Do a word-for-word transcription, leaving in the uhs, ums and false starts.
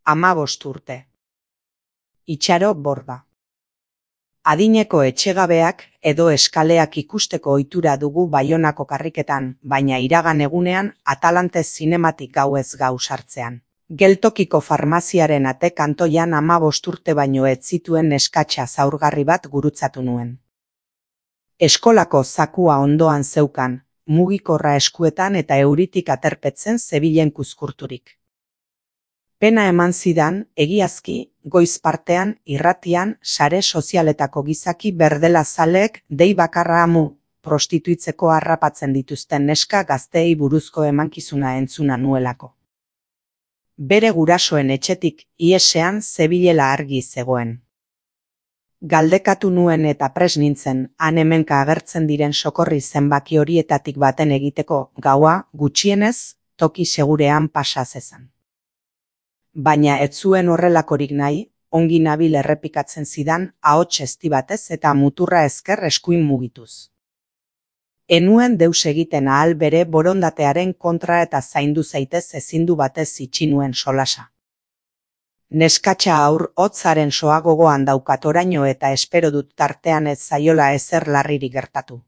hamabost urte. Itxaro Borda. Adineko etxegabeak edo eskaleak ikusteko ohitura dugu Baionako karriketan, baina iragan egunean Atalante Zinematik gauez gau sartzean. Geltokiko farmaziaren ate kantoian hamabost urte baino ez zituen neskatxa zaurgarri bat gurutzatu nuen. Eskolako zakua ondoan zeukan, mugikorra eskuetan eta euritik aterpetzen zebilen kuzkurturik. Pena eman zidan, egiazki, goiz partean, irratian, sare sozialetako gizaki berdela zaleek dei bakarra amu prostituitzeko harrapatzen dituzten neska gazteei buruzko emankizuna entzuna nuelako. Bere gurasoen etxetik iesean zebilela argi zegoen. Galdekatu nuen eta pres nintzen, han hemenka agertzen diren sokorri zenbaki horietatik baten egiteko gaua gutxienez toki segurean pasa zezan. Baina ez zuen horrelakorik nahi, ongi nabil errepikatzen zidan ahots ezti batez eta muturra ezker eskuin mugituz. Enuen deus egiten ahal bere borondatearen kontra eta zaindu zaitez ezindu batez itxi nuen solasa. Neskatxa aur hotzaren soa gogoan daukat oraino eta espero dut tartean ez zaiola ezer larririk gertatu.